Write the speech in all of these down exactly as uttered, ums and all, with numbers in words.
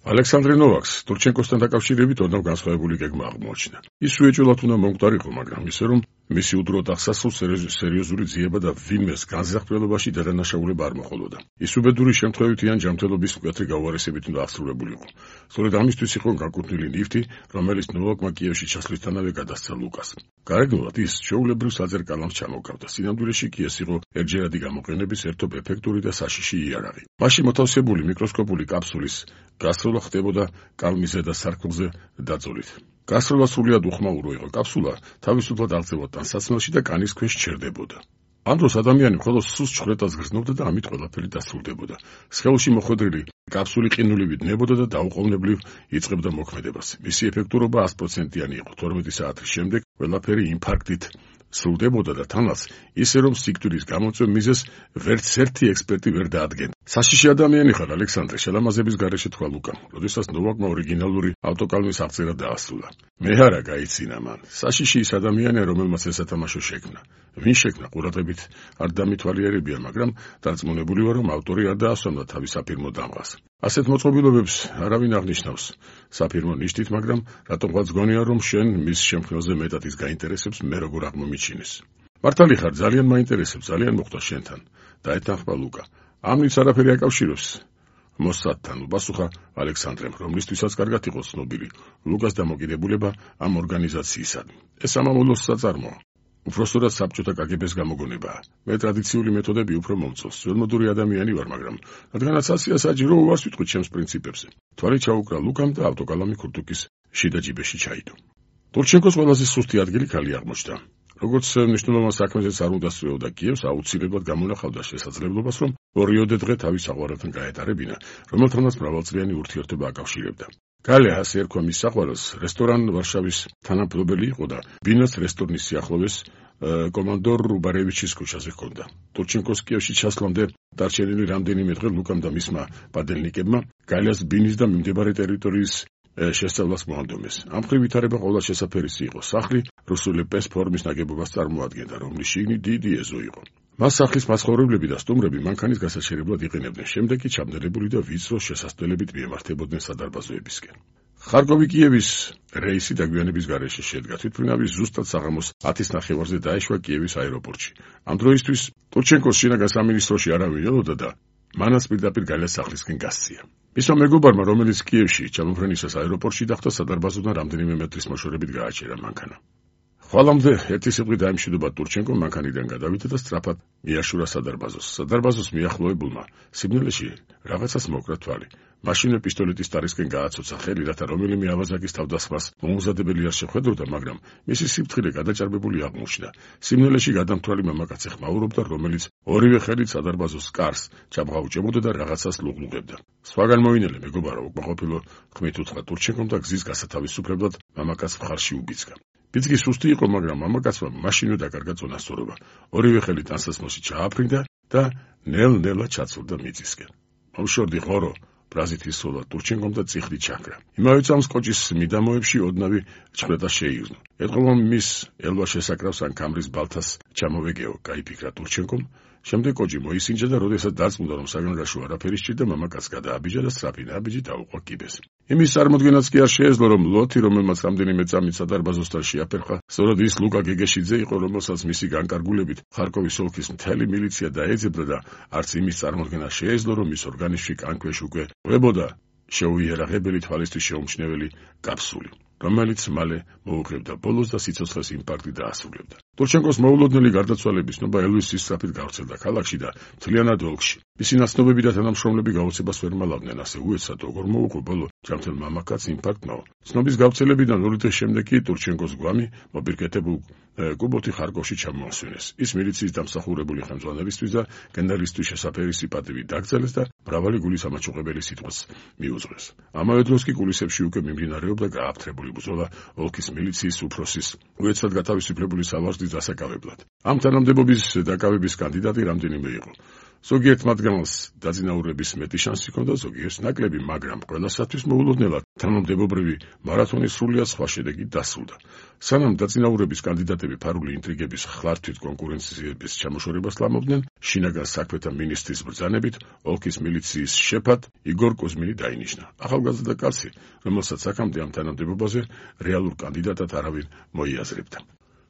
ალექსანდრე ნოვაკს ტურჩენკოსთან დაკავშირებით ოდნავ განსხვავებული გეგმა აღმოაჩინა. ის უეჭველად უნდა მომკვდარიყო, მაგრამ ისე რომ მისი უდრო აღსასრულს სერიოზული ძიება და ვინმეს განზრახველობაში დადანაშაულება არ მოხოლოდა. ის უბედური შემთხვევითი ან ჯანმრთელობის მკვეთრი გაუარესებით უნდა აღსრულებულიყო. სწორედ ამისთვის იყო განკუთვნილი ლიფტი, რომელიც ნოვაკმა კიევში ჩასვლისთანავე გადასცა ლუკას. გარეგნულად ის ჩვეულებრივ საძერ კალამს ჩამოჰგავდა. სინამდვილეში კი ეს იყო ერთჯერადი გამოყენების ერთობ ეფექტური და საშიში იარაღი. მასში მოთავსებული მიკროსკოპული კაფსულის გასროლა ხდებოდა კალმის ზედა სარკმელზე დაძოლით. გასროლა სრულიად უხმაურო იყო. კაფსულა თავისუფლად აღწევოდა ტანსაცმელში და კანის ქვეშ ჩერდებოდა. ამ დროს ადამიანი მხოლოდ სუსტ ჩხრეტას გრძნობდა და ამით ყველაფერი დასრულდებოდა. სხეულში მოხვედრილი კაფსული ყინულივით ნებოდა და დაუყოვნებლივ იწყებდა მოქმედებას. მისი ეფექტურობა ას პროცენტიანი იყო. თორმეტი საათის შემდეგ ყველაფერი ინფარქტით სრულდებოდა და თანაც ისე რომ სიკვდილის გამოწვევ მიზეზს ვერც ერთი ექსპერტი ვერ დაადგენდა. საშიში ადამიანი ხარ, ალექსანდრე, შელამაზების გარეშე თქვა ლუკამ, როდესაც ნოვაკმა ორიგინალური ავტოკალმის აღწერა დაასრულა. მე არა გაიცინა მან. საშიში ის ადამიანია, რომელმაც ეს სათამაშო შექმნა. ვინ შექმნა, ყურადღებით არ დამითვალიერებია, მაგრამ დარწმუნებული ვარ, რომ ავტორი არ დაასვამდა თავის საფირმო დამღას. ასეთ მოწყობილობებს არავინ აღნიშნავს საფირმო ნიშნით, მაგრამ რატომღაც გონია, რომ შენ მის შემქმნელზე მეტად ის გაინტერესებს, მე როგორ აღმომიჩინეს. მართალი ხარ, ძალიან მაინტერესებს, ძალიან მოხდა შენთან. დაეთანხმა ლუკა. ამით არაფერი აკავშირებს მოსადთან, უპასუხა ალექსანდრემ, რომლისთვისაც კარგად იყო ცნობილი ლუკას დამოკიდებულება ამ ორგანიზაციისადმი. ეს სამამულოს საწარმოა. უпроსტოდ საბჭოთა კაგებეს გამოგონებაა. მე ტრადიციული მეთოდები უფრო მომწონს. ძველმოდური ადამიანი ვარ, მაგრამ რადგანაც ასია საჭირო, უარს ვიტყვი ჩემს პრინციპებზე. თვალი ჩაუკრა ლუკამ და ავტოკალამი ქურთუკის შიდა ჯიბეში ჩაიდო. ტურჩენკოს ყველაზე სუსტი ადგილი ქალი აღმოჩნდა. როგორც მნიშვნელოვან საქმეზეც არ უნდა სწრეოდა კიევს, აუცილებლად გამონახავდა შესაძლებლობას, რომ ორიოდე დღე თავის საყვარელთან გაეტარებინა, რომელთანაც მრავალწლიანი ურთიერთობა აკავშირებდა. გალე ასე ერქვა მის საყვარელს, რესტორან ვარშავის თანამფლობელი იყო და ბინას რესტორნის სიახლოვეს კომანდორ რუბარევიჩის ქუჩაზე ჰქონდა. ტურჩენკოს კიევში ჩასვლამდე დარჩენილი რამდენიმე დღე ლუკამ და მისმა პადელნიკებმა გალეს ბინის და მიმდებარე ტერიტორიის შესწავლას მოანდომეს. ამ მხრივ ვითარება ყოველ შესაფერისი იყო. სახლი რუსული პეს ფორმის ნაგებობას წარმოადგენდა, რომლის შიგნით დიდი ეზო იყო. მას სახლის მაცხოვრებლები და სტუმრები მანქანის გასაჩერებლად იყენებდნენ. შემდეგ კი ჩაბნელებული და ვიწრო შესასვლელებით მიემართებოდნენ სადარბაზოებისკენ. ხარკოვი კიევის რეისი დაგვიანების გარეშე შედგა. თვითმფრინავი ზუსტად საღამოს ათის ნახევარზე დაეშვა კიევის აეროპორტში. ამ დროისთვის ტურჩენკოს შინაგან სამინისტროში არავინ ელოდა და მანაც პირდაპირ გალეს სახლისკენ გასცია. მისმა მეგობარმა, რომელიც კიევში ჩამოფრენისას აეროპორტში დახვდა, სადარბაზოდან რამდენიმე მეტრის მოშორებით გააჩერა მანქანა. ხვალამდე ერთი სიტყვი დაიმშვიდობა ტურჩენკომ მანქანიდან გადავიდა და სწრაფად მიაშურა სადარბაზოს. სადარბაზოს მიახლოებულმა სიბნელეში რაღაცას მოკრა თვალი. მაშინვე პისტოლეტის ტარისკენ გააცოცა ხელი, რათა რომელიმე ავაზაკის თავდასხმას მოუზადებელი არ შეხვედროდა, მაგრამ მისი სიფრთხილე გადაჭარბებული აღმოჩნდა. სიბნელეში გადამთვალი მამაკაცი ხმაურობდა, რომელიც ორივე ხელით სადარბაზოს კარს ჩამღაუჭებოდა და რაღაცას ლუღლუღებდა. სხვაგან მოინელე მეგობარო, უკმაყოფილო ხმით უთხრა ტურჩენკომ და გზის გასათავისუფლებლად მამაკაცს მხარში უბიძგა. ბიძგი სუსტი იყო, მაგრამ მამაკაცმა მაშინვე დაკარგა წონასწორობა. ორივე ხელით ტანსაცმელში ჩააფრინდა და ნელ-ნელა ჩაცურდა მიწისკენ. მომშორდი ღორო ბრაზით ისროლა ტურჩენკომ და წიხლი ჩაქრა. იმავე წამს კოჭის მიდამოებში ოდნავი ჩხრეტა შეიგრძნო. ეტყობა მის ელვა შესაკრავს ან კამრის ბალთას ჩამოვეგეო, გაიფიქრა ტურჩენკომ. შემდეგ კოჭი მოისინჯა და როდესაც დარწმუნდა, რომ საგანგაშო არაფერი სჭირდა, მამაკაცს გადააბიჯა და სწრაფი ნაბიჯი დაუყვა კიბეს. იმის წარმოდგენაც კი არ შეეძლო, რომ ლოთი, რომელმაც რამდენიმე წამით სადარბაზოსთან შეაფერხა, სწორედ ის ლუკა გეგეშიძე იყო, რომელსაც მისი განკარგულებით ხარკოვის ოლქის მთელი მილიცია დაეძებდა და არც იმის წარმოდგენა შეეძლო, რომ მის ორგანიზმში კანქვეშ უკვე ყვებოდა შეუიარაღებელი თვალისთვის შეუმჩნეველი კაფსული, რომელიც მალე მოუღებდა ბოლოს და სიცოცხლეს ინფარქტი დაასრულებდა. ტურჩენკოს მოულოდნელი გარდაცვალების ნობა ელვისის სწრაფით გავრცელდა ქალაქში და მთლიანად ოლქში. მისი ნაცნობები და თანამშრომლები გაოცებას ვერ მალავდნენ, ასე უეცრად როგორ მოუღო ბოლო ჯანმრთელ მამაკაცს ინფარქტმა. ცნობის გავრცელებიდან ორი დღის შემდეგ კი ტურჩენკოს გვამი მოპირკეთებულ კუბოთი ხარკოვში ჩამოასვენეს. ის მილიციის დამსახურებული ხელმძღვანელისთვის და გენერალისთვის შესაფერისი პატივი დაკრძალეს და მრავალი გულის ამაჩუყებელი სიტყვას მიუძღვეს. ამავე დროს კი კულისებში უკვე მიმდინარეობდა გააფთრებული ბრძოლა ოლქის მილიციის უფროსის უეცრად გათავისუფლებული სავარძლის დასაკავებლად. ამ თანამდებობის დაკავების კანდიდატი რამდენიმე იყო. ზოგიერთ მათგანს დაძინაურების მეტი შანსი ჰქონდა, ზოგიერთს ნაკლები, მაგრამ ყველასათვის მოულოდნელად თანამდებობრივი მარათონის სრულიად სხვა შედეგი დასრულდა. სანამ დაძინაურების კანდიდატები ფარული ინტრიგების ხლართვით კონკურენციების ჩამოშორებას ლამობდნენ, შინაგან საქმეთა მინისტრის ბრძანებით ოლქის მილიციის შეფად იგორ კუზმინი დაინიშნა. ახალგაზრდა კაცი, რომელსაც აქამდე ამ თანამდებობაზე რეალურ კანდიდატად არავინ მოიაზრებდა.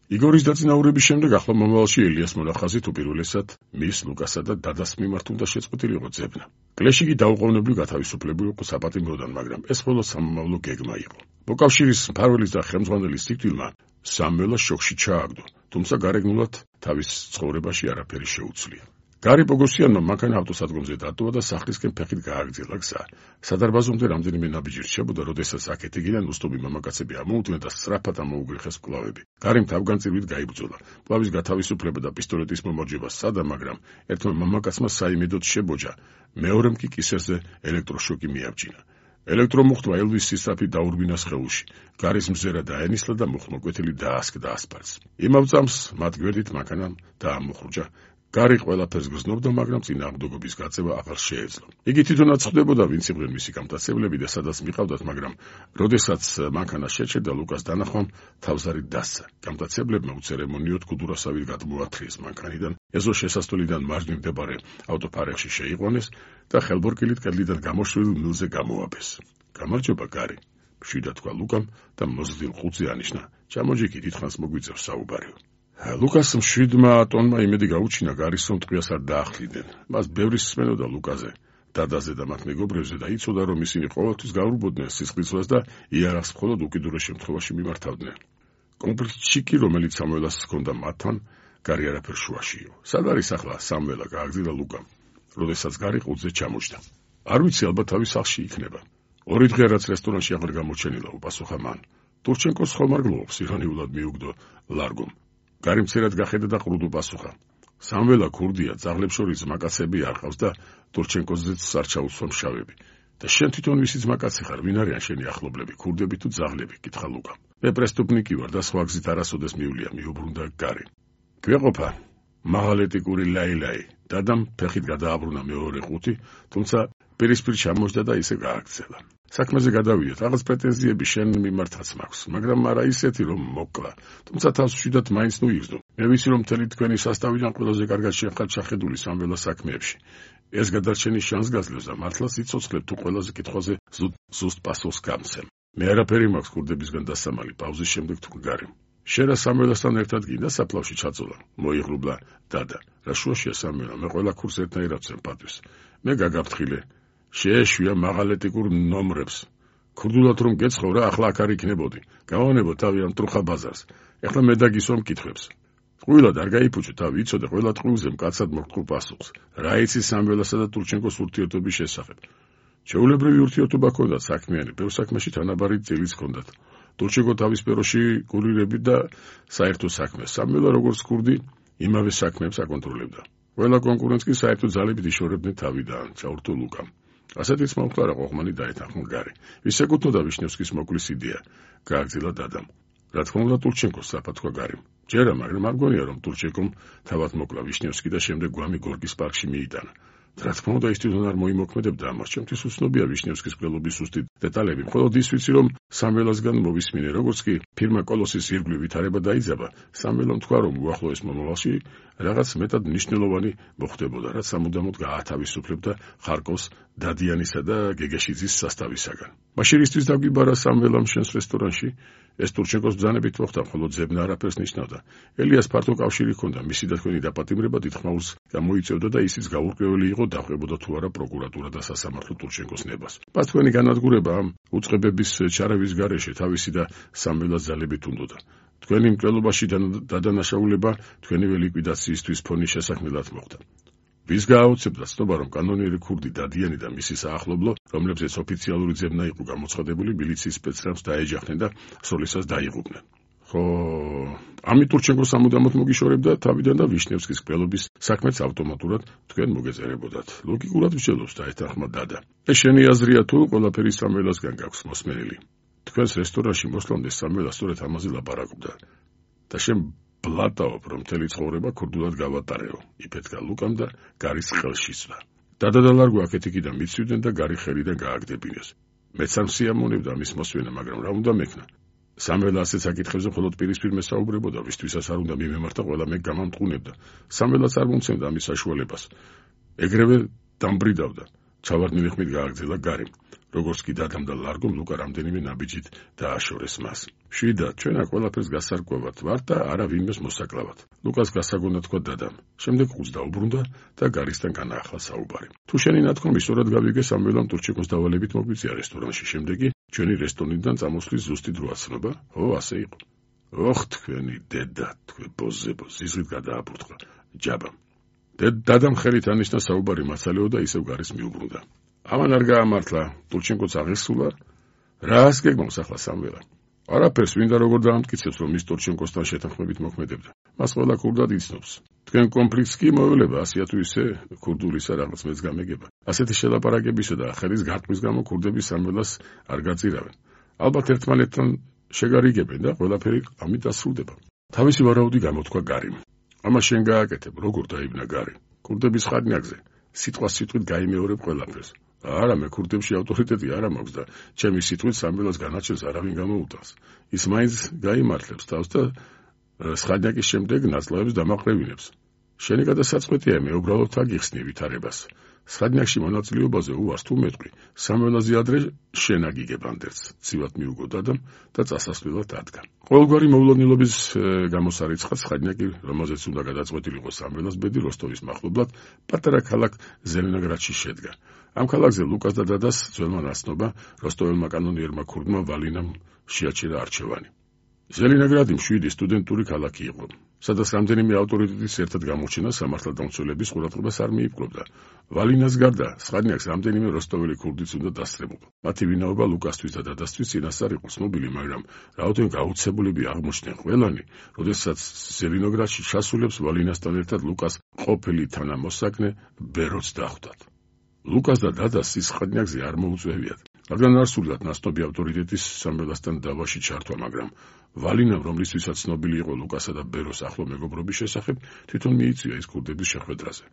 იგორის დაძინაურების შემდეგ ახლო მომავალში ელიას მონახაზით უპირველესად მის ლუკასა და დადას მიმართ უნდა შეწყვეტილიყო ძებნა. კლეში კი დაუყოვნებლივ გათავისუფლებული იყო საპატიმროდან, მაგრამ ეს მხოლოდ სამომავლო გეგმა იყო. მოკავშირის მფარველის და ხელმძღვანელის სიკვდილმა სამველას შოკში ჩააგდო, თუმცა გარეგნულად თავის ცხოვრებაში არაფერი შეუცვლია. გარი პოგოსიანმა მანქანა ავტოსადგომზე დატოვა და სახლისკენ ფეხით გააგრძელა გზა. სადარბაზომდე რამდენიმე ნაბიჯი რჩებოდა, როდესაც აქეთ-იქიდან უსტობი მამაკაცები ამოუდგნენ და სწრაფად ამოუგრეხეს მკლავები. გარიმ თავგანწირვით გაიბრძოლა. მკლავის გათავისუფლება და პისტოლეტის მომარჯვება სცადა, მაგრამ ერთმა მამაკაცმა საიმედოდ შებოჯა, მეორემ კი კისერზე ელექტროშოკი მიაბჯინა. ელექტრომუხტვა ელვის სისწრაფი დაურბინა სხეულში. გარის მზერა დაენისლა და მუხმოკვეთილი დაასკდა ასფალტს. იმავე წამს მათ გვერდით მანქანამ დაამოხრუჭა. გარი ყველაფერს გრძნობდა, მაგრამ წინააღმდეგობის გაწევა აღარ შეეძლო. იგი თვითონაც ხვდებოდა, ვინც იყვნენ მისი გამტაცებლები და სადაც მიყავდათ, მაგრამ როდესაც მანქანა შეჩერდა, ლუკას დანახვამ თავზარი დასცა. გამტაცებლებმა უცერემონიოდ გუდურასავით გადმოათრიეს მანქანიდან, ეზო შესასვლელიდან მარჯვნივ მდებარე ავტოფარეხში შეიყვანეს და ხელბორკილით კედლიდან გამოშვებულ მილზე გამოაბეს. გამარჯობა, გარი, მშვიდად თქვა ლუკამ და მოზრდილ ხუთზე ანიშნა. ჩამოჯიქი, დიდხანს მოგვიწევს საუბარი. ლუკას მშვიდმა ტონმა იმედი გაუჩინა, გარის სონტყვიას არ დაახლდნენ. მას ბევრი სმენოდა ლუკაზე, დადაზე და მათ მეგობრებზე და იცოდა, რომ ისინი ყოველთვის გაურბოდნენ სისხლისღვრას და იარაღს მხოლოდ უკიდურეს შემთხვევაში მიმართავდნენ. კონფლიქტში კი, რომელიც სამველას ჰქონდა მათთან, გარი არაფერ შუაშიო. სად არის ახლა სამველა? გააგზავნა ლუკამ, როდესაც გარი ყუთზე ჩამოჯდა. არ ვიცი, ალბათ თავის სახლში იქნება. ორი დღე რაც რესტორანში აღარ გამოჩენილა, უპასუხა მან. ტურჩენკოს ხომარ გლობს, ირონიულად მიუგდო ლარგომ. გარი მცირად გახედა და ყრუდ უპასუხა. სამველა ქურდია, ძაღლებს შორის ძმაკაცები არ ყავს და ტურჩენკოზეც არ ჩაუსვა მშავები. და შენ თვითონ ვისი ძმაკაცი ხარ? ვინ არიან შენი ახლობლები, ქურდები თუ ძაღლები? კითხა ლუკა. მე პრესტუპნიკი ვარ და სხვა გზით არასოდეს მივლია, მიუბრუნდა გარი. გვეყოფა, მაღალეტიკური ლაილაი. დადამ ფეხით გადააბრუნა მეორე ყუთი, თუმცა პირისპირ ჩამოჯდა და ისე გააგრძელა. საქმეზე გადავიდეთ, რაღაც პრეტენზიები შენ მიმართაც მაქვს, მაგრამ არა ისეთი, რომ მოკლა. თუმცა თავს მშვიდად მაინც ნუ იგრძნო. მე ვიცი, რომ მთელი თქვენი სასტავიდან ყველაზე კარგად შენ ხარ ჩახედული სამველა საქმეებში. ეს გადარჩენის შანსს გაძლევს და მართლა სიცოცხლე თუ ყველაზე კითხვაზე ზუსტ პასუხს გამცემ. მე არაფერი მაქვს ქურდებისგან დასამალი, პაუზის შემდეგ თუ გარემ. შენ რა სამველასთან ერთად გინდა საფლავში ჩაწოლა? მოიღრუბლა დადა. რა შუაშია სამველა? მე ყველა ქურს ერთნაირად ვცემ პატივს. მე გაგაფრთხილე. შეეშვია მაღალეტიკურ ნომრებს. ქურდულად რომ გეცხო რა, ახლა აქ არ იქნებოდი. გავანებო თავი ამ ტრუხა ბაზარს. ეხლა მე დაგისვა მკითხვებს. ტყუილად არ გაიფუჭე თავი, იცოდე ყველა ტყუილზე მკაცად მოგტყუ პასუხს. რა იცი სამველასა და ტურჩენკოს ურთიერთობის შესახებ? ჩვეულებრივი ურთიერთობა ჰქონდათ საქმიანი, ბევრ საქმეში თანაბარი წილიც ჰქონდათ. ტურჩენკო თავის სფეროში კურირები და საერთო საქმეს. სამველა როგორც ქურდი, იმავე საქმეებს აკონტროლებდა. ყველა კონკურენტს კი საერთო ძალებით იშორებდნენ თავიდან, ჩაურთო ლუკამ. ასეთიც მომხდარა ყოღმანი დაეთანხმა გარი. ვის ეკუთვნოდა ვიშნევსკის მოკლის იდეა? გააგრძელა დადამ. რა თქმა უნდა ტურჩენკოს, სწრაფად თქვა გარიმ. ჯერა, მაგრამ არ მგონია, რომ ტურჩენკომ თავად მოკლა ვიშნევსკი და შემდეგ გვამი გორგის პარკში მიიტანა. რა თქმა უნდა, ის თვითონ არ მოიმოქმედებდა ამას. ჩემთვის უცნობია ვიშნევსკის მკვლელობის ზუსტი დეტალები. მხოლოდ ის ვიცი, რომ სამველასგან მოვისმინე, როგორც კი ფირმა კოლოსის ირგვლივ ვითარება დაიძაბა, სამველომ თქვა, რომ უახლოეს მომავალში რაღაც მეტად მნიშვნელოვანი მოხდებოდა, რაც სამუდამოდ გაათავისუფლებდა ხარკოვს დადიანისა და გეგეშიძის სასტავისაგან. მაშინ ისთვის დაგვიბარა სამველამ შენს რესტორანში? ეს ტურჩენკოს ბრძანებით მოხდა, მხოლოდ ძებნა არაფერს ნიშნავდა. ელიას ფართო კავშირი ჰქონდა, მისი და თქვენი დაპატიმრება დიდხმაურს გამოიწევდა და ისიც გაურკვეველი იყო, დახვებოდა თუ არა პროკურატურა და სასამართლო ტურჩენკოს ნებას. მას თქვენი განადგურება ამ უწყებების ჩარევის გარეშე თავისი და სამველას ძალებით უნდოდა. თქვენი მკვლელობაში დადანაშაულება თქვენივე ლიკვიდაციისთვის ფონის შესაქმნელად მოხდა. ვის გააუცებდა ცნობა, რომ კანონიერი ქურდი დადიანი და მისი საახლობლო, რომლებზეც ოფიციალური ძებნა იყო გამოცხადებული, მილიციის სპეცრებს დაეჯახნენ და სროლისას დაიღუპნენ. ხო, ამით ტურჩენკოს სამუდამოდ მოგიშორებდა თავიდან და ვიშნევსკის მკვლელობის საქმეც ავტომატურად თქვენ მოგეწერებოდათ. ლოგიკურად მსჯელობს დაეთანხმა დადა. ეს შენი აზრია თუ ყველაფერი სამველასგან გაქვს მოსმენილი? თქვენს რესტორანში მოსვლამდე სამველა სწორედ ამაზე ლაპარაკობდა. და შენ ბლატაობ, რომ მთელი ცხოვრება ქურდულად გავატარეო, იფეთქა ლუკამ და გარის ხელში სვა. დადა და ლარგო აქეთ-იქიდან მიცვიდნენ და გარი ხელიდან გააგდებინეს. მეც არ მსიამოვნებდა ამის მოსვენა, მაგრამ რა უნდა მექნა? სამველა ასეთ საკითხებზე მხოლოდ პირისპირ მესაუბრებოდა, ვისთვისაც არ უნდა მიმემართა, ყველა მე გამამტყუნებდა. სამველაც არ მომცემდა ამის საშუალებას. ეგრევე დამბრიდავდა. ჩავარდნილი ხმით გააგრძელა გარემ. როგორც კი დადამ და ლარგომ ლუკა რამდენიმე ნაბიჯით დააშორეს მას. მშვიდად, ჩვენ აქ ყველაფერს გასარკვევად ვართ და არა ვინმეს მოსაკლავად. ლუკას გასაგონა თქვა დადამ. შემდეგ ხუთს დაუბრუნდა და გარისთან განაახლა საუბარი. თუ შენი ნათქვამი სწორად გავიგე, სამველამ ტურჩიკოს დავალებით მოგვიწია რესტორანში. შემდეგი ჩვენი რესტორნიდან წამოსვლის ზუსტი დრო აცნობა? ო, ასე იყო. ოხ, თქვენი დედა, თქვენ ბოზებო, ზიზღით გადააბურთყა. ჯაბამ. დადამ ხელით ანიშნა საუბარი მასალეო და ისევ გარის მიუბრუნდა. ამან არ გაამართლა, ტურჩენკოც აღესულა. რას გეგმავს ახლა სამველა? არაფერს, ვინდა როგორ დაამტკიცებს, რომ მის ტურჩენკოსთან შეთანხმებით მოქმედებდა. მას ყველა ქურდად იცნობს. თქვენ კონფლიქტს კი მოევლება, ასეა თუ ისე ქურდულისა რაღაც მეც გამეგება. ასეთი შელაპარაკებისა და ხელის გარტყმის გამო ქურდები სამველას არ გაწირავენ. ალბათ ერთმანეთთან შეგარიგებენ და ყველაფერი ამით დასრულდება. თავისი ვარაუდი გამოთქვა გარიმ. ამას შენ გააკეთებ, როგორ დაიბნა გარი? ქურდების ხარნაკზე სიტყვა სიტყვით გაიმეორებ ყველაფერს. არა, მე ქურდებში ავტორიტეტი არ მაქვს და ჩემი სიტყვით სამველას განაჩენს არავინ გამოუტანს. ის მაინც გაიმართლებს თავს და სხადნაკის შემდეგ ნაწლავებს დამაყრევინებს. შენი გადასაწყვეტია, მე უბრალოდ აგიხსნი ვითარებას. სხადნაკში მონაწილეობაზე უარს თუ მეტყვი, სამველაზე ადრე შენ აგიგებ ანდერს. ცივად მიუგო დადამ და წასასვლელად ადგა. ყოველგვარი მოვლენილობის გამოსარიცხად სხადნაკი, რომელზეც უნდა გადაწყვეტილიყო სამველას ბედი როსტოვის მახლობლად, პატარა ქალაქ ზელენოგრადში შედგა. ამ ქალაქზე ლუკას და დადას ძველმა ნაცნობა როსტოველმა კანონიერმა ქურდმა ვალინამ შეაჩერა არჩევანი. ზელენოგრადი მშვიდი სტუდენტური ქალაქი იყო, სადაც რამდენიმე ავტორიტეტის ერთად გამოჩენა სამართალდამცველების ყურადღებას არ მიიპყრობდა. ვალინას გარდა სხადნაკს რამდენიმე როსტოველი ქურდიც უნდა დასწრებოდა. მათი ვინაობა ლუკასთვის და დადასთვის წინასწარ იყო ცნობილი, მაგრამ რაოდენიმე გაუცებულები აღმოჩნდნენ ყველანი, როდესაც ზელენოგრადში ჩასულებს ვალინასთან ერთად ლუკას ყოფილი თანამოსაგნე ბეროც დახვდათ. ლუკას და დადას ის სხადნაკზე არ მოუწევიათ, რადგან არ სურდათ ნაცნობი ავტორიტეტის სამველასთან დავაში ჩართვა, მაგრამ ვალინამ, რომლისთვისაც ცნობილი იყო ლუკასა და ბეროს ახლო მეგობრობის შესახებ, თვითონ მიიწვია ის ქურდების შეხვედრაზე.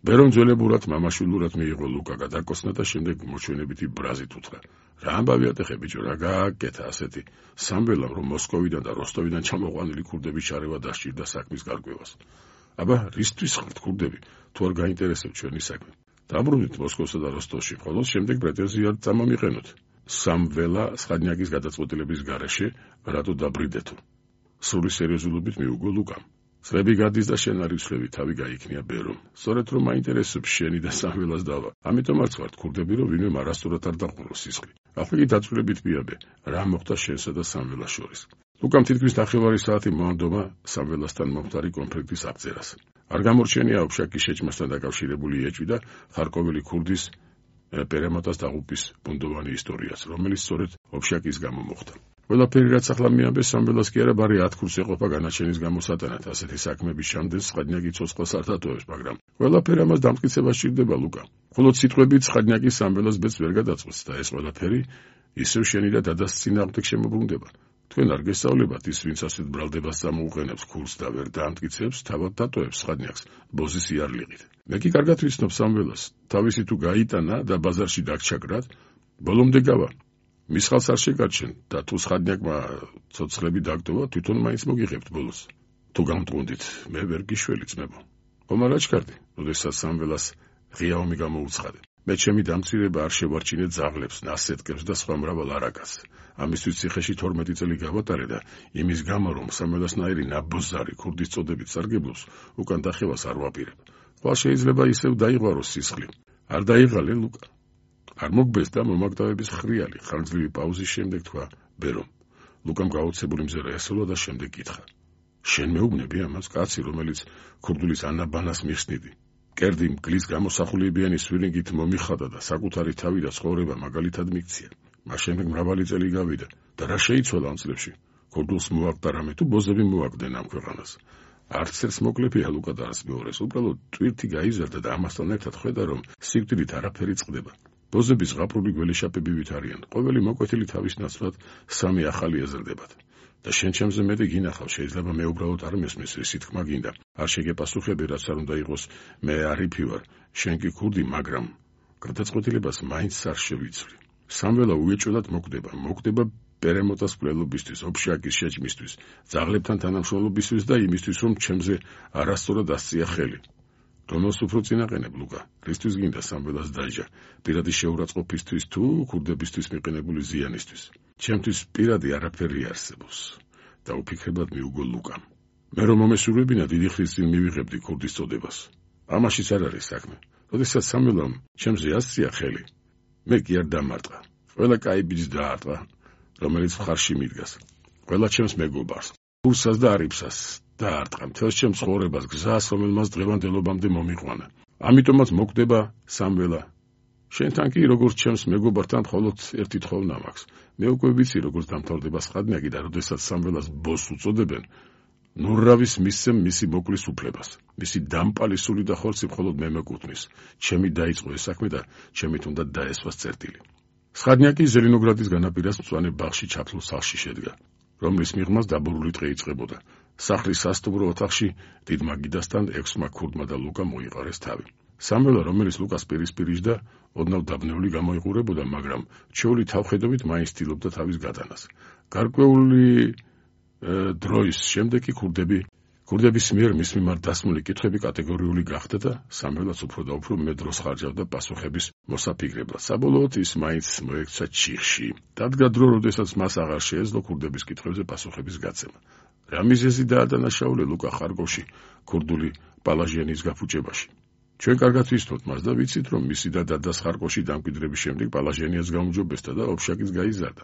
ბერომ ძველებურად მამაშვილურად მიიღო ლუკა გადაკოსნა და შემდეგ მოჩვენებითი ბრაზით უთხრა. რა ამბავი ატეხე ბიჭო, რა გააკეთა ასეთი? სამველამ, რომ მოსკოვიდან და როსტოვიდან ჩამოყვანილი ქურდების ჩარევა დასჭირდა საქმის გარკვევას. აბა, რისთვის ხართ ქურდები, თუ არ გაინტერესებთ ჩვენი საქმე? დაბრუნდით მოსკოვსა და როსტოვში, ხოლო შემდეგ პრეტენზიად წამომიყენოთ. სამველა სხადნაკის გადაწყვეტილების გარეშე რატო დაბრიდეთო? სრული სერიოზულობით მიუგო ლუკამ. წლები გადის და შენ არ იცვლები, თავი გაიქნია ბერომ. სწორედ რომ მაინტერესებს შენი და სამველას დავა. ამიტომაც ვართ ქურდები, რომ ვინმე არასწორად არ დაყურო სისხლი. ახლა კი დაწვრილებით მიაბე, რა მოხდა შენსა და სამველას შორის. ლუკამ თითქმის ნახევარი საათი მოანდომა სამველასთან მომხდარი კონფლიქტის აღწერას. არ გამორჩენია ოფშაკის შეჭმასთან დაკავშირებული ეჭვი და ხარკოველი ქურდის პერემატას დაღუპვის ბუნდოვანი ისტორიაც, რომელიც სწორედ ოფშაკის გამო მოხდა. ყველაფერი რაც ახლა მიამბეს, სამველას კი არა ბარი ათ ქურს ეყოფა განაჩენის გამო სატანად. ასეთი საქმების შამდენ სხადნაკი ცოცხლას არ დატოვებს, მაგრამ ყველაფერი ამას დამტკიცება სჭირდება ლუკა. მხოლოდ სიტყვებით სხადნაკი სამველას ბედს ვერ გადაწყვეტს და ეს ყველაფერი ისევ შენი და დადას წინააღმდეგ შემოbrunდება. თქვენ არ გესწავლებათ ის, ვინც ასეთ ბრალდებას წამოუყენებს ქურს და ვერ დაამტკიცებს, თავად დატოვებს სხადნაკს ბოზის იარლიღით. მე კი კარგად ვიცნობ სამველას, თავისი თუ გაიტანა და ბაზარში დაგჩაგრად, ბოლომდე გავა. მის ხალხს არ შეგარჩენ და თუ სხადნაკმა ცოცხლები დაგტოვა, თვითონ მაინც მოგიღებთ ბოლოს. თუ გამტყუნდით, მე ვერ გიშველი ძმებო. ხომ არ აჩქარდი, როდესაც სამველას ღიაომი გამოუცხადე. მე ჩემი დამცირება არ შევარჩინე ძაღლებს, ნასეტკებს და სხვა მრავალ არაკას. ამისთვის ციხეში თორმეტი წელი გავატარე და იმის გამო, რომ სამველასნაირი ნაბოზარი ქურდის წოდებით სარგებლობს, უკან დახევას არ ვაპირებ. ხვალ შეიძლება ისევ დაიღვაროს სისხლი. არ დაიღალე ლუკა. არ მოგბეს და მომაგდავების ხრიალი ხანძლივი პაუზის შემდეგ თქვა ბერომ. ლუკამ გაოცებული მზერა ესოლა და შემდეგ კითხა. შენ მეუბნები ამას, კაცი, რომელიც ქურდულის ანაბანას მიხსნიდი. კერდი მგლის გამოსახულებიანი სვირინგით მომიხადა და საკუთარი თავი და ცხოვრება მაგალითად მიქცია. მას შემდეგ მრავალი წელი გავიდა და რა შეიცვალა ამ წლებში? ქურდულს მოაგდა რამე თუ ბოზები მოაგდნენ ამ ქვეყანას? არც ერთს მოკლებია ლუკა და არც მეორეს, უბრალოდ ტვირთი გაიზარდა და ამასთან ერთად ხედა, რომ სიკვდილით არაფერი წყდება. ბოზების ზღაპრული გველეშაპები ვით არიან, ყოველი მოკვეთილი თავის ნაცვლად სამი ახალი ეზრდებათ. და შენ ჩემზე მეტი გინახავ, შეიძლება მე უბრალოდ არ მესმის ისი თქმა გინდა. არ შეგეპასუხები, რაც არ უნდა იყოს, მე არიფი ვარ, შენ კი ქურდი, მაგრამ გადაწყვეტილებას მაინც არ შევიცვლი. სამველა უეჭველად მოკვდება, მოკვდება პერემოტას მკვლელობისთვის, ოფშაკის შეჭმისთვის, ძაღლებთან თანამშრომლობისთვის და იმისთვის, რომ ჩემზე არასწორად ასწია ხელი. რომელს უფრო წინაყენებ, ლუკა? რისთვის გინდა სამველას დაჟა? პირადი შეურაცხყოფისთვის თუ ქურდებისთვის მიყენებული ზიანისთვის? ჩემთვის პირადი არაფერი არსებობს და უფიქრებლად მიუგო ლუკამ. მე რომ მომესურვებინა დიდი ხნის წინ მივიღებდი ქურდის წოდებას. ამაშიც არ არის საქმე. როდესაც სამველამ ჩემზე ასწია ხელი, მე კი არ დამარტყა. ყველა კაი ბიჭს დაარტყა, რომელიც მხარში მიდგას. ყველა ჩემს მეგობარს, კურსას და არიფსას დაარტყა მთელს ჩემს ცხოვრებას, გზას, რომელმაც დღევანდელობამდე მომიყვანა. ამიტომაც მოკვდება სამველა. შენთან კი როგორც ჩემს მეგობართან მხოლოდ ერთი თხოვნა მაქვს. მე უკვე ვიცი როგორც დამთავრდება სხადნიაკი და როდესაც სამველას ბოსს უწოდებენ, ნურავის მისცემ მისი მოკლის უფლებას. მისი დამპალი სული და ხორცი მხოლოდ მე მეკუთვნის. ჩემი დაიწყო ეს საქმე და ჩემით უნდა დაესვას წერტილი. სხადნიაკი ზელინოგრადის განაპირას მწვანე ბაღში ჩაფლულ სახლში შედგა, რომლის მიღმას დაბურული დღე იწყებოდა. სახლის სასტუმრო ოთახში დიდმა გიდასთან ექვსმა ქურდმა და ლუკა მოიყარეს თავი. სამველა, რომელიც ლუკას პირისპირიჟდა, ოდნავ დაბნეული გამოიყურებოდა, მაგრამ ჩვეული თავხედობით მაინც ცდილობდა თავის გატანას. გარკვეული დროის შემდეგ კი ქურდები ქურდების მიერ მის მიმართ დასმული კითხვები კატეგორიული გახდა და სამველაც უფრო და უფრო მე დროს ხარჯავდა პასუხების მოსაფიქრებლად. საბოლოოდ ის მაინც მოექცა ჩიხში. დადგა დრო, როდესაც მას აღარ შეეძლო ქურდების კითხვებზე პასუხების გაცემა. რა მიზეზი დაადანაშაულე ლუკა ხარკოვში ქურდული პალაჟიანის გაფუჭებაში? ჩვენ კარგად ვიცნობთ მას და ვიცით, რომ მისი და დადას ხარკოვში დამკვიდრების შემდეგ პალაჟიანიას გაუმჯობესდა და ოფშაკიც გაიზარდა.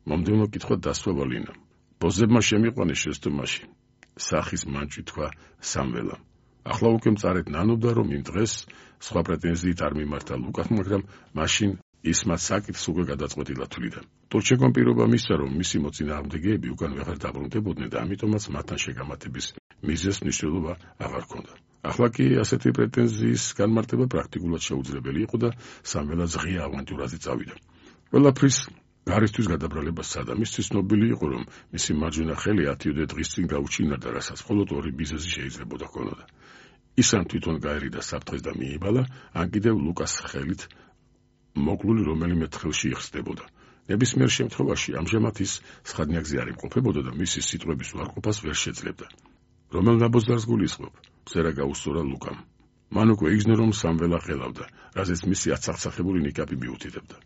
მომდევნო კითხვა დასვა ვალინამ. ბოზებმა შემიყვანეს შეცდომაში. სახის მანჭი თქვა სამველამ. ახლა უკვე მწარედ ნანობდა, რომ იმ დღეს სხვა პრეტენზიით არ მიმართა ლუკას, მაგრამ მაშინ ის მათ საკითხს უკვე გადაწყვეტილად თვლიდა. ტურჩეკომ პირობა მისცა, რომ მისი მოწინააღმდეგეები უკან ვეღარ დაბრუნდებოდნენ და ამიტომაც მათთან შეგამართების მიზეზს მნიშვნელობა აღარ ჰქონდა. ახლა კი ასეთი პრეტენზიის განმარტება პრაქტიკულად შეუძლებელი იყო და სამველაც ღია ავანტიურაზე წავიდა. ყველაფრის გარისთვის გადაბრალება სცადა. მისთვის ცნობილი იყო, რომ მისი მარჯვენა ხელი ათიოდე დღის წინ გაუჩინარდა, რასაც მხოლოდ ორი მიზეზი შეიძლებოდა ჰქონოდა. ის ან თვითონ გაერიდა საფრთხეს და მიიბალა, ან კიდევ ლუკას ხელით მოკლული რომელიმე თხილში იხსდებოდა. ნებისმიერ შემთხვევაში ამჟამად ის სხადნიაკზე არ იმყოფებოდა და მისი სიტყვების უარყოფას ვერ შეძლებდა. რომელ ნაბოზარს გულისხმობ? მწერა გაუსწორა ლუკამ. მან უკვე იგრძნო, რომ სამველა ხელავდა, რაზეც მისი აცახცახებული ნიკაპი მიუთითებდა.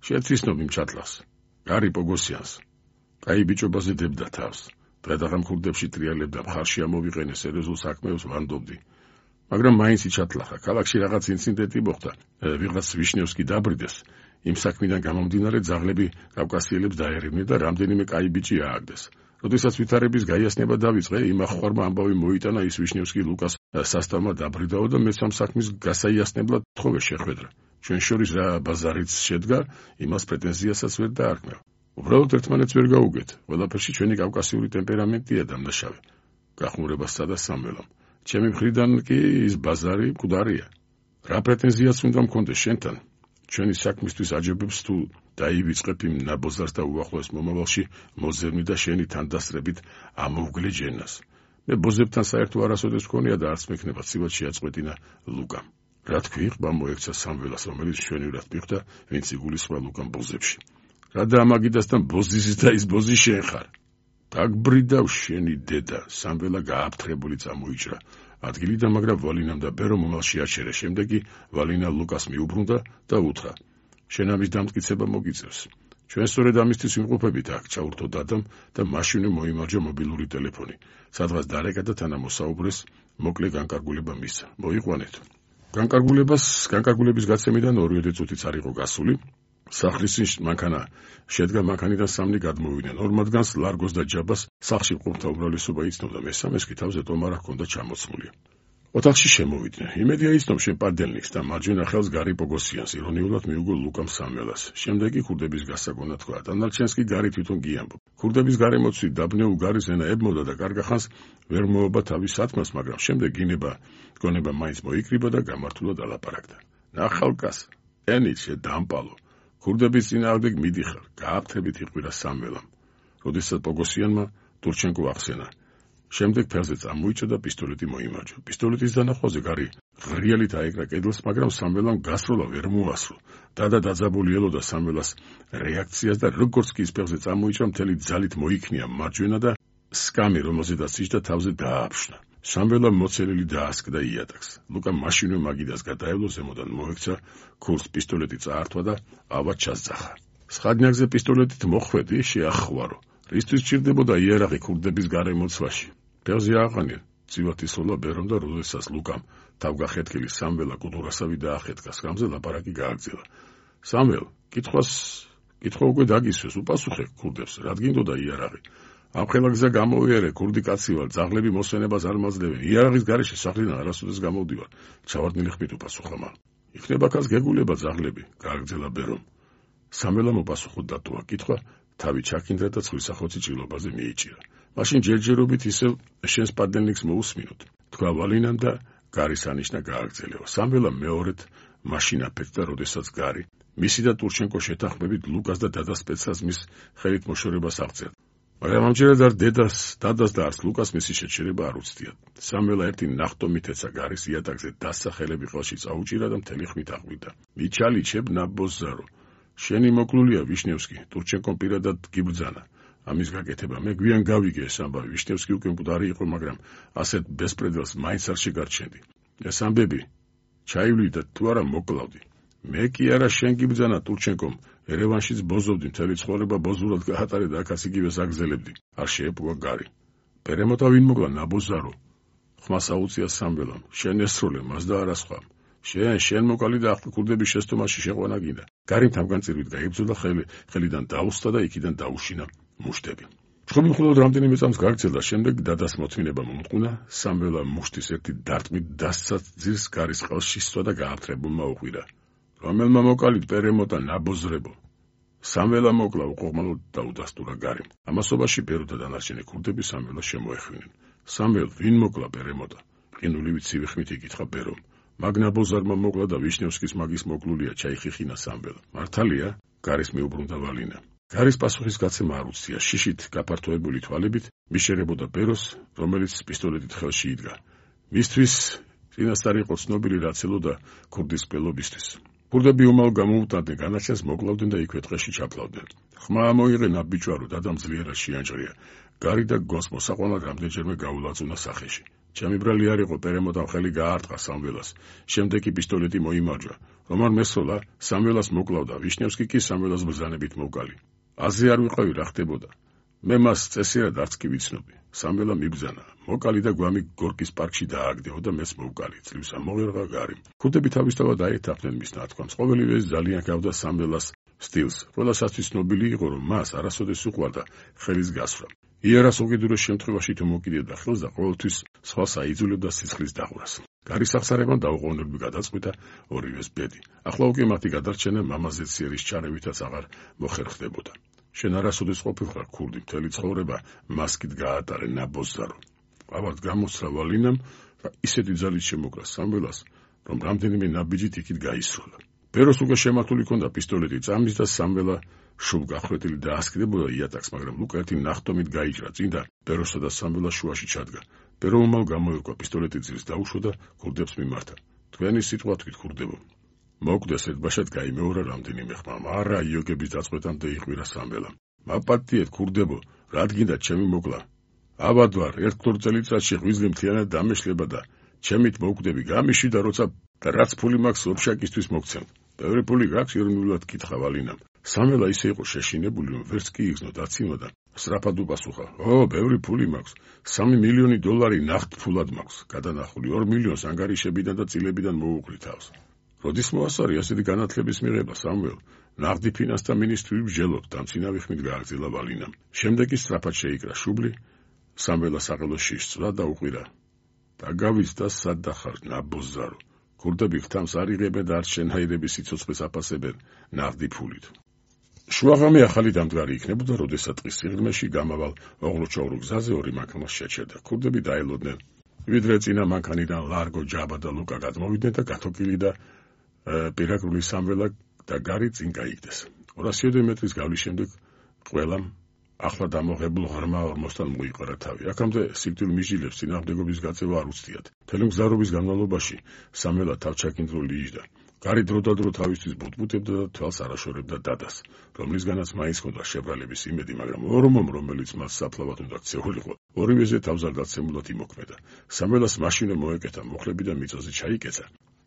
შეცისნობ იმ ჩათლას. გარი პოგოსიანს. კაი ბიჭობაზე დებდა თავს. დღედაღამ ქურდებში ტრიალებდა, მხარში ამოვიყენე სერიოზულ საქმეებს ვანდობდი. მაგრამ მაინც იჩათლახა. ქალაქში რაღაც ინციდენტი მოხდა. ვიღაც ვიშნევსკი დაბრიდეს. იმ საქმიდან გამომდინარე ძაღლები კავკასიელებს დაერევნეს და რამდენიმე კაი ბიჭი ააგდეს. როდესაც ვითარების გაიასნება დავიწყე, იმ ახხვარმა ამბავი მოიტანა, ის ვიშნევსკი ლუკას სასტავმა დაბრიდაო და მეც ამ საქმის გასაიასნებლად თხოვე შეხვედრა. ჩვენ შორის რა ბაზარიც შედგა, იმას პრეტენზიასაც ვერ დაარქმევ. უბრალოდ ერთმანეთს ვერ გაუგეთ. ყველაფერში ჩვენი კავკასიური ტემპერამენტია დამნაშავე. გახმურებას სცადა სამველამ. ჩემი მხრიდან კი ის ბაზარი მკვდარია. რა პრეტენზიაც უნდა მქონდეს შენთან? ჩვენი საქმისთვის აჯობებს თუ დაივიწყებ იმ ნაბოზარს და უახლოეს მომავალში მოზერნი და შენი თანდასწრებით ამოვგლე ჯენას. მე ბოზებთან საერთო არასოდეს მქონია და არც მექნება ცივად შეაწყვეტინა ლუკამ. რა თქვი, ყბა მოექცა სამველას, რომელიც მშვენივრად მიხვდა, ვინც იგულისხმდა ლუკამ ბოზებში. რა დაამაგიდასთან ბოზის და ის ბოზი შენ ხარ? დაგბრიდავ შენი დედა. სამველა გააფთრებული წამოიჭრა ადგილიდან, მაგრამ ვალინამ და ბერო მომალში აჩერე. შემდეგ კი ვალინა ლუკას მიუბრუნდა და უთხრა: შენ ამის დამტკიცება მოგიწევს. ჩვენ სწორედ ამისთვის ვიმყოფებით აქ, ჩაურთო დადამ და მაშინვე მოიმარჯვა მობილური ტელეფონი. სადღაც დარეკა და თანამოსაუბრეს მოკლე განკარგულება მისცა. მოიყვანეთ. განკარგულებას განკარგულების გაცემიდან ორივე წუთიც არ იყო გასული. სახლის მანქანა შედგა, მანქანიდან სამნი გადმოვიდნენ. ორ მათგანს, ლარგოს და ჯაბას, სახლში მყოფთა უმრავლესობა იცნობდა, მესამეს კი თავზე ტომარა ჰქონდა ჩამოცმული. ოთახში შემოვიდნენ. იმედია იცნობ შენ პადელნიკს და მარჯვენა ხელს გარი პოგოსიანს, ირონიულად მიუგო ლუკამ სამველას. შემდეგ კი ქურდების გასაგონა თქვა. დანარჩენს კი გარი თვითონ გიამბობ. ქურდების გარემოცვით დაბნეულ გარის ენა ებმოდა და კარგახანს ვერ მოობა თავის სათქმას, მაგრამ შემდეგ გინება გონება მაინც მოიკრიბა და გამართულად ალაპარაკდა. ნახალკას, ენით შედამპალო. ქურდების წინააღმდეგ მიდიხარ, გააფთრებით იყვირა სამველამ. როდესაც პოგოსიანმა ტურჩენკო ახსენა. შემდეგ ფეხზე წამოიჭა და პისტოლეტი მოიმარჯვა. პისტოლეტის დანახვაზე გარი ღრიალით აეკრა კედელს, მაგრამ სამველამ გასროლა ვერ მოასრო. დადა დაძაბული ელოდა სამველას რეაქციას და როგორც კი ის ფეხზე წამოიჭრა, მთელი ძალით მოიქნია მარჯვენა და სკამი, რომელზედაც იჯდა, თავზე დააფშნა. სამველა მოცელილი დაასკდა იატაკს. ლუკა მაშინვე მაგიდას გადაევლო, ზემოდან მოექცა, ქურს პისტოლეტი წაართვა და ავად ჩასძახა. სხადნიაკზე პისტოლეტით მოხვედი, შეახვარო. რისთვის ჭირდებოდა იერაღი ქურდების გარემოცვაში? ფეხზე აყანე, წივათ ისოლა ბერომ და როდესაც ლუკამ თავგახეთქილი სამველა კუდურასავი დაახეთქა, სკამზე ლაპარაკი გააგრძელა. სამվել, კითხვას, კითხვა უკვე დაგისვეს, უპასუხე ქურდებს, რადგინდოდა იარაღი? ამხელა გზა გამოვიარე, ქურდი კაცი ვარ, ძაღლები მოსვენებას არ მაძლევენ. იარაღის გარეშე სახლიდან არასოდეს გამოვდივარ. ჩავარდნილი ხმით უპასუხა მან. იქნება კაც გეგულება ძაღლები, გააგრძელა ბერომ. სამველამ უპასუხო დატოვა კითხვა, თავი ჩაქინდრა და ცხვრის ახოცი ჭრილობაზე მიიჭირა. მაშინ ჯერჯერობით ისევ შენს პადელნიკს მოусმინოთ. თქვა ვალინამ და გარის ანიშნა გააგრძელება. სამველამ მეორედ მაშინ აფეთქდა, როდესაც გარი მისი და ტურჩენკო შეთანხმებით ლუკას და დადას სპეცსაზმის ხელით მოშორებას აღწერდა. მაგრამ ამჯერად არ დედას, დადას და არც ლუკას მისი შეჩერება არ უცდიათ. სამველა ერთი ნახტომით ეცა გარის იატაკზე დასცა, ხელები ყელში წაუჭირა და მთელი ხმით აღვიდა. მიჩალიჩებ ნაბოზარო. შენი მოკლულია ვიშნევსკი, ტურჩენკომ პირადად გიბრძანა. ამის გაკეთება მე გვიან გავიგე ეს ამბავი. ვიშნევსკი უკვე მკვდარი იყო, მაგრამ ასეთ ბესპრედელს მაინც არ შეგარჩენდი. ეს ამბები ჩაივლი და თუ არა მოკლავდი. მე კი არა, შენ გიბრძანა ტურჩენკომ. ერევანშიც ბოზობდი, მთელი ცხოვრება ბოზურად გაატარე და აქაც იგივე საგზელებდი. არ შეეპყვა გარი. პერემოტა ვინ მოკლა? ნაბოზარო. ხმას აუწია სამველამ. შენ ესროლე მას და არა სხვა. შენ შენ მოკალი და ახლა ქურდების შეცდომაში შეყვანა გინდა. გარი თავგანწირვით გაიბრძოდა, ხელი ხელიდან დაუსტა და იქიდან დაუშინა მუშტები. ჩხუბი მხოლოდ რამდენიმე წამს გაგრძელდა, შემდეგ დადას მოთმინება მომტყუნა. სამველა მუშტის ერთი დარტყმით დასცა ძირს, გარის ყელში სცვა და გააფთრებულმა უყვირა. რომელმა მოკალით პერემოტა ნაბოზრებო? სამველა მოკლა, უყოღმალოდ დაუდასტურა გარიმ. ამასობაში ბერო და დანარჩენი ქურდები სამველას შემოეხვინენ. სამվել, ვინ მოკლა პერემოტა? ყინულივით ცივი ხმით იკითხა ბერომ. მაგ ნაბოზარმა მოკლა და ვიშნევსკის მაგის მოკლულია, ჩაიხიხინა სამველა. მართალია? გარის მიუბრუნდა ვალინა. გარის პასუხის გაცემა არ უცდია. შიშით გაფართოებული თვალებით მიშერებოდა ბეროს, რომელიც პისტოლეტით ხელში იდგა. მისთვის წინასწარ იყო ცნობილი, რაც ელოდა ქურდის მკვლელობისთვის. ქურდები უმალ გამოუტანდნენ, განაჩენს მოკლავდნენ და იქვე ტყეში ჩაფლავდნენ. ხმა მოიღენა ბიჭვარო, დადამ ძლიერად შეანჭრია. გარი და გოს მოსაყვანად რამდენჯერმე გაულაწუნა სახეში. ჩემი ბრალი არ იყო, პერემოტამ ხელი გაარტყა სამველას. შემდეგ კი პისტოლეტი მოიმარჯვა. რომ არ მესროლა, სამველას მოკლავდა, ვიშნევსკი კი სამველას ბრძანებით მოკალი. აზე არ ვიყავი, რა ხდებოდა. მე მას წესიერად არც კი ვიცნობი. სამველა მიბრძანა. მოკალი და გვამი გორკის პარკში დააგდეო და მეც მოვკალი. წლივს ამოღერღა გარი. ქურდები თავისთავად აერთაფდნენ მის ნათქვამს. ყოველივე ეს ძალიან გავდა სამველას სტილს. ყველასათვის ცნობილი იყო, რომ მას არასოდეს უყვარდა ხელის გასვლა. იერას უკიდურეს შემთხვევაში თუ მოკიდებდა ხელს და ყოველთვის სხვას აიძულებდა სიცხლის დაღვრას. გარის აღსარებამ დაუყოვნებლივ გადაწყვიტა ორივეს ბედი. ახლა უკვე მათი გადარჩენა მამაზეც სიერის ჩარევითაც აღარ მოხერხდებოდა. შენ არასოდეს ყოფილხარ ქურდი, მთელი ცხოვრება მასკით გაატარე, ნაბოზარო. ავად გამოსცდა ვალინამ და ისეთი ძალით შემოკრა სამველას, რომ რამდენიმე ნაბიჯით იქით გაისროლა. ბეროს უკვე შემართული ჰქონდა პისტოლეტი წამის და სამველა შუბ გახვედილი დაასკდებოდა იატაკს, მაგრამ ლუკა ერთი ნახტომით გაიჭრა წინ და ბეროსა და სამველას შუაში ჩადგა. ბერო უმალ გამოერკვა, პისტოლეტი ძირს დაუშვა და ქურდებს მიმართა. თქვენი სიტყვა თქვით, ქურდებო. მოკვდეს ერთბაშად გაიმეორა რამდენიმე ხმა, არა იოგების დაწყვეტამდე იყვირა სამველამ. მაპატიეთ, ქურდებო, რადგინდა ჩემი მოკლა? აბად ვარ, ერთ ქორ წელიწადში ღვიძლი მთლიანად დამეშლება და ჩემით მოკვდები, გამიშვიდა, როცა რაც ფული მაქვს ოფშაკისთვის მოგცემ. ბევრი ფული გაქვს? ირონიულად კითხა ვალინამ. სამველა ისე იყო შეშინებული, რომ ვერც კი იგრძნო დაცინვა და სწრაფად უპასუხა. ო, ბევრი ფული მაქვს. სამი მილიონი დოლარი ნახტ ფულად მაქვს. გადანახული ორ მილიონს ანგარიშებიდან და წილებიდან მოუყრი თავს. როდის მოასწარი ასეთი განათლების მიღება, სამվել? ნაღდი ფინანსთა მინისტრი ბჟელოთ, დამცინავი ხმით გააგრძელა ვალინამ. შემდეგ კი სწრაფად შეიკრა შუბლი, სამველა საყელოში სცვა და უყვირა. დაგავიწყდა სად დახარ, ნაბოზარო. ქურდები ხთამს არ იღებენ და არც შენჰაირების სიცოცხლეს აფასებენ ნაღდი ფულით. შუაღამე ახალი დამდგარი იქნებოდა, როდესაც ტყის სიღრმეში გამავალ ოღლუჩოღლუ გზაზე ორი მანქანა შეჩერდა. ქურდები დაელოდნენ. ვიდრე წინა მანქანიდან ლარგო, ჯაბა და ლუკა გადმოვიდნენ და გათოკილი და პირაგრული სამველა და გარი წინ გაიგდეს. ორასიოდე მეტრის გავლის შემდეგ ყველამ ახლა დამოღებულ ღრმა ორმოსთან მოიყარა თავი. აქამდე სიკვდილ მიჯილებს წინააღმდეგობის გაწევა არ უცდიათ. მთელი მგზავრობის განმავლობაში სამველა თავჩაკინდრული იჯდა. გარი დროდადრო თავისთვის ბუტბუტებდა და თვალს არაშორებდა დადას, რომლისგანაც მაინც ჰქონდა შებრალების იმედი, მაგრამ ორმომ, რომელიც მას საფლავად უნდა ქცეულიყო, ორივეზე თავზარდაცემულად იმოქმედა. სამველას მაშინვე მოეკეთა მუხლები და მიწაზე ჩაიკეცა.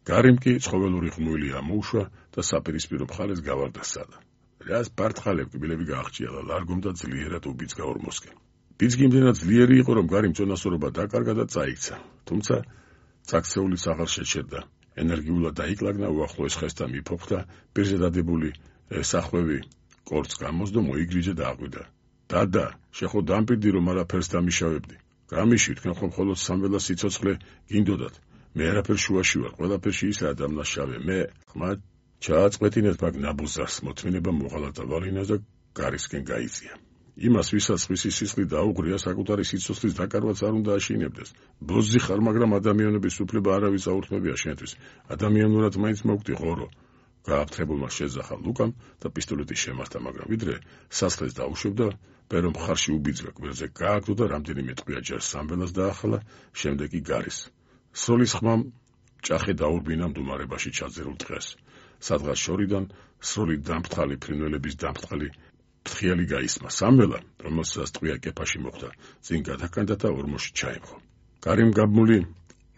გარიმ კი ცხოველური ხმული ამოუშვა და საპირისპირო მხარეს გავარდა სადა. რას ბარტყალებ კბილები გააღჭიალა, ლარგომდა ძლიერად უბიძგა ორმოსკენ. ბიძგი იმდენად ძლიერი იყო, რომ გარიმ წონასწორობა დაკარგა და წაიქცა, თუმცა წაქცეულიც აღარ შეჩერდა. ენერგიულად დაიკლაგნა, უახლოეს ხესთან მიფოფხდა, პირზე დადებული სახვევი კორწს გამოსდო, მოიგრიჟა და აყვიდა. დადა, შეხო დამპირდი, რომ არაფერს დამიშავებდი. გამიში, თქვენ ხომ მხოლოდ სამველას სიცოცხლე გინდოდათ. მე არაფერ შუაში ვარ, ყველაფერში ისაა დამნაშავე. მე ხმა ჩააწყვეტინეთ მაგ ნაბუზარს, მოთმინება მოღალა და ვალინას და გარისკენ გაიწია. იმას, ვისაც ხმისი სისხლი დაუღრია, საკუთარი სიცოცხლის დაკარგვაც არ უნდა აშინებდეს. ბოზი ხარ, მაგრამ ადამიანების უფლება არავის აურთმებია შენთვის. ადამიანურად მაინც მოგდი ღორო. გააფთრებულმა შეძახა ლუკამ და პისტოლეტი შემართა, მაგრამ ვიდრე სასხლეს დაუშვებდა, პერო მხარში უბიძგა, კბილზე გააგდო და რამდენიმე ტყვია ჯერ სამველას დაახლა, შემდეგ კი გარის. სროლის ხმამ ჭახე დაურბინა მდუმარებაში ჩაძერულ დღეს. სადღაც შორიდან სროლი დამფრთხალი ფრინველების დამფრთხალი ფრთხიალი გაისმა. სამველა, რომელსაც ტყვია კეფაში მოხვდა, წინ გადაკანდა და ორმოში ჩაემხო. გარიმ გაბმული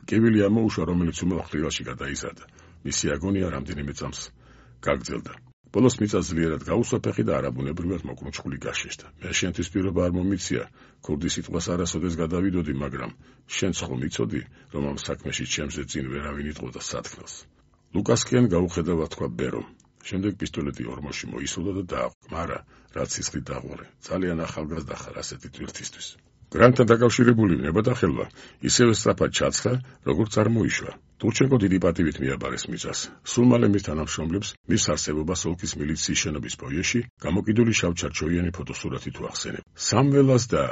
კივილი ამოუშვა, რომელიც უმალ ხრივალში გადაიზარდა. მისი აგონია რამდენიმე წამს გაგრძელდა. ბოლოს მიწა ძლიერად გაუსვა ფეხი და არაბუნებრივად მოკრუნჩხული გაშეშდა. მე შენთვის პირობა არ მომიცია, ქურდი სიტყვას არასოდეს გადავიდოდი, მაგრამ შენც ხომ იცოდი, რომ ამ საქმეში ჩემზე წინ ვერავინ იტყოდა სათქმელს. ლუკასკენ გაუხედავად თქვა ბერომ. შემდეგ პისტოლეტი ორმოში მოისურვა და დააყო, მარა რაც სისხლით დაღვარე. ძალიან ახალგაზრდა ხარ ასეთი ტვირთისთვის. გრანტთან დაკავშირებული ნებადახელვა ისევე სწრაფად ჩაცხა, როგორც არ მოიშვა. ტურჩენკო დიდი პატივით მიაბარეს მიწას. სულ მალე მის თანამშრომლებს მის არსებობას ოლქის მილიციის შენობის ფოიეში გამოკიდული შავჩარჩოიანი ფოტოსურათი თუ ახსენებ. სამველას და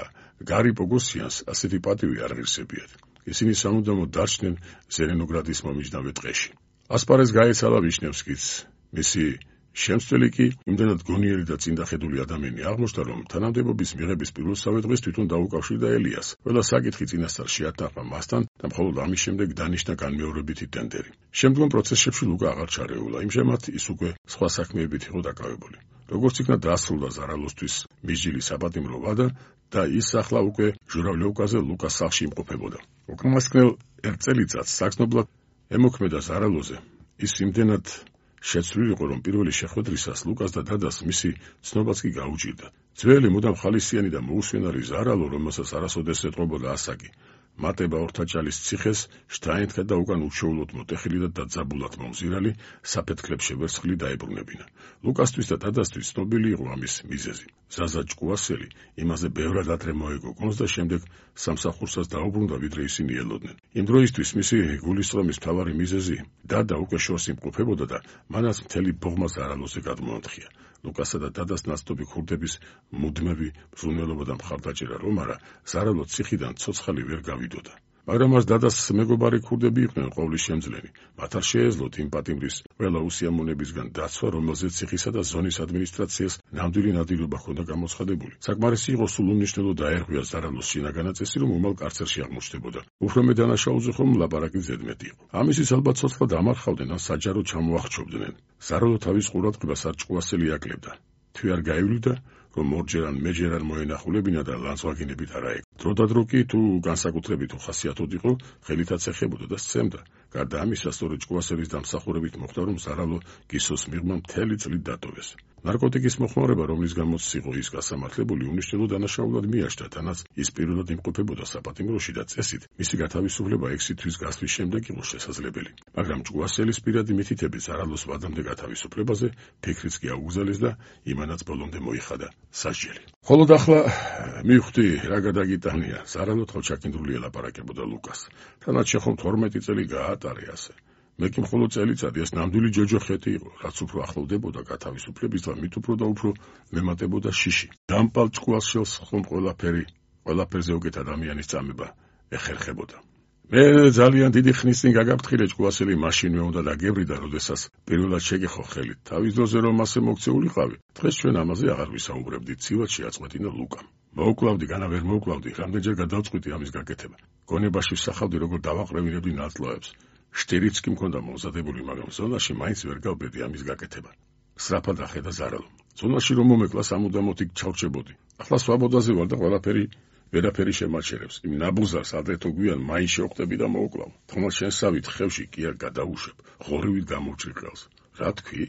გარი პოგოსიანს ასეთი პატივი არ ღირსებიათ. ისინი სამუდამოდ დარჩნენ ზელენოგრადის მომიჯნავე ტყეში. ასპარეზ გაეცალა ვიშნევსკიც. მისი შემცველი კი იმდენად გონიერი და წინდახედული ადამიანი აღმოჩნდა, რომ თანამდებობის მიღების პირველსავე დღეს თვითონ დაუკავშირდა ელიას. ყველა საკითხი წინასწარ შეათანხმა მასთან და მხოლოდ ამის შემდეგ დანიშნა განმეორებითი ტენდერი. შემდგომ პროცესებში ლუკა აღარ ჩარეულა, იმჟამად ის უკვე სხვა საქმეებით იყო დაკავებული. როგორც იქნა დასრულდა ზარალოსთვის მისჯილი საპატიმრო ვადა და ის ახლა უკვე ჟურავლიოვკაზე ლუკას სახლში იმყოფებოდა. უკანასკნელ ერთ წელიწადს საგრძნობლად ემოქმედა ზარალოზე. ის იმდენად შეცვლილი იყო, რომ პირველი შეხვედრისას ლუკას და დადას მისი ცნობაც კი გაუჭირდა. ძველი მუდამ ხალისიანი და მოუსვენარი ზარალო, რომელსაც არასოდეს ეტყობოდა ასაკი, მატება ორთაჭალის ციხეს შტაინთქა და უკან უშეულოდ მოტეხილი და დაძაბულად მომზირალი საფეთქლებს შევერცხლი დაებრუნებინა. ლუკასთვის და დადასთვის ცნობილი იყო ამის მიზეზი. ზაზა ჭკუასელი იმაზე ბევრად ადრე მოეგო გონს და შემდეგ სამსახურსაც დაუბრუნდა, ვიდრე ისინი ელოდნენ. იმ დროისთვის მისი გულისწყრომის მთავარი მიზეზი დადა უკვე შორს იმყოფებოდა და მანაც მთელი ბოღმა ზარალოზე გადმოანთქია. ლუკასა და დადას ნაცნობი ქურდების მუდმივი მზრუნველობა და მხარდაჭერა რომ არა, ზარალო ციხიდან ცოცხალი ვერ გავიდოდა. მაგრამ მას დადას მეგობარი ქურდები იყვნენ ყოვლის შემძლენი. მათ არ შეეძლოთ იმ პატიმრის ყველა უსიამოვნებისგან დაცვა, რომელზეც ციხისა და ზონის ადმინისტრაციას ნამდვილი ნადირობა ჰქონდა გამოცხადებული. საკმარისი იყო სულ უმნიშვნელო დაერღვია ზარალოს შინაგანა წესი, რომ უმალ კარცერში აღმოჩნდებოდა. უფრო მე დანაშაულზე ხომ ლაპარაკი ზედმეტი იყო. ამისთვის ალბათ ცოცხლად ამარხავდნენ, ან საჯარო ჩამოახჩობდნენ. ზარალო თავის ყურადღებას არ ჭკუასელი აკლებდა. თვი არ გაივლიდა, რომ ორჯერ ან მეჯერ არ მოენახულებინა და ლანძღვაგინებით არა ეგ. დროდადრო კი თუ განსაკუთრებით უხასიათოდ იყო, ხელითაც ეხებოდა და სცემდა. გარდა ამისა, სწორედ ჭკუასელის დამსახურებით მოხდა, რომ ზარალო გისოს მიღმა მთელი წლით დატოვეს. ნარკოტიკის მოხმარება, რომლის გამოც იყო ის გასამართლებული, უნიშნელო დანაშაულად მიაჩნდა, თანაც ის პირველად იმყოფებოდა საპატიმროში და წესით მისი გათავისუფლება ექვსი თვის გასვლის შემდეგ იყო შესაძლებელი. მაგრამ ჭკუასელის პირადი მითითებით ზარალოს ვადამდე გათავისუფლებაზე ფიქრიც კი აუგზავნეს და იმანაც ბოლომდე მოიხადა სასჯელი. ხოლოდ ახლა მივხვდი რა გადაგიტანია. ზარალო თავჩაკინდრული ელაპარაკებოდა ლუკას. თანაც შეხომ თორმეტი წელი გაატარე ასე. მე კი მხოლოდ წელიწადი ეს ნამდვილი ჯოჯოხეთი იყო, რაც უფრო ახლოვდებოდა გათავისუფლებისთან, მით უფრო და უფრო მემატებოდა შიში. დამპალ ჭკუას შელს ხომ ყველაფერი, ყველაფერზე უკეთ ადამიანის წამება ეხერხებოდა. მე ძალიან დიდი ხნის წინ გაგაფრთხილე ჭკუასელი მაშინვე უნდა დაგევრიდა, როდესაც პირველად შეგეხო ხელით. თავის დროზე რომ ასე მოქცეულიყავი, დღეს ჩვენ ამაზე აღარ ვისაუბრებდით, ცივად შეაწყვეტინა ლუკამ. მოუკლავდი, განა ვერ მოუკლავდი, რამდენჯერ გადავწყვიტი ამის გაკეთება. გონებაში ვსახავდი, როგორ დავაყრევინებდი ნატლოებს. შტირიც კი მქონდა მომზადებული, მაგრამ ზონაში მაინც ვერ გავბედი ამის გაკეთება. სრაფად ახედა ზარალო. ზონაში რომ მომეკლა სამუდამოდ იქ ჩავჭებოდი. ახლა სვაბოდაზე ვარ და ყველაფერი ვერაფერი შემაჩერებს. იმ ნაბუზარს ადრე თუ გვიან მაინც შევხვდები და მოუკლავ. თქმა შენსავით ხევში კი არ გადაუშვებ. ღორივით გამოვჭრიყელს. რა თქვი?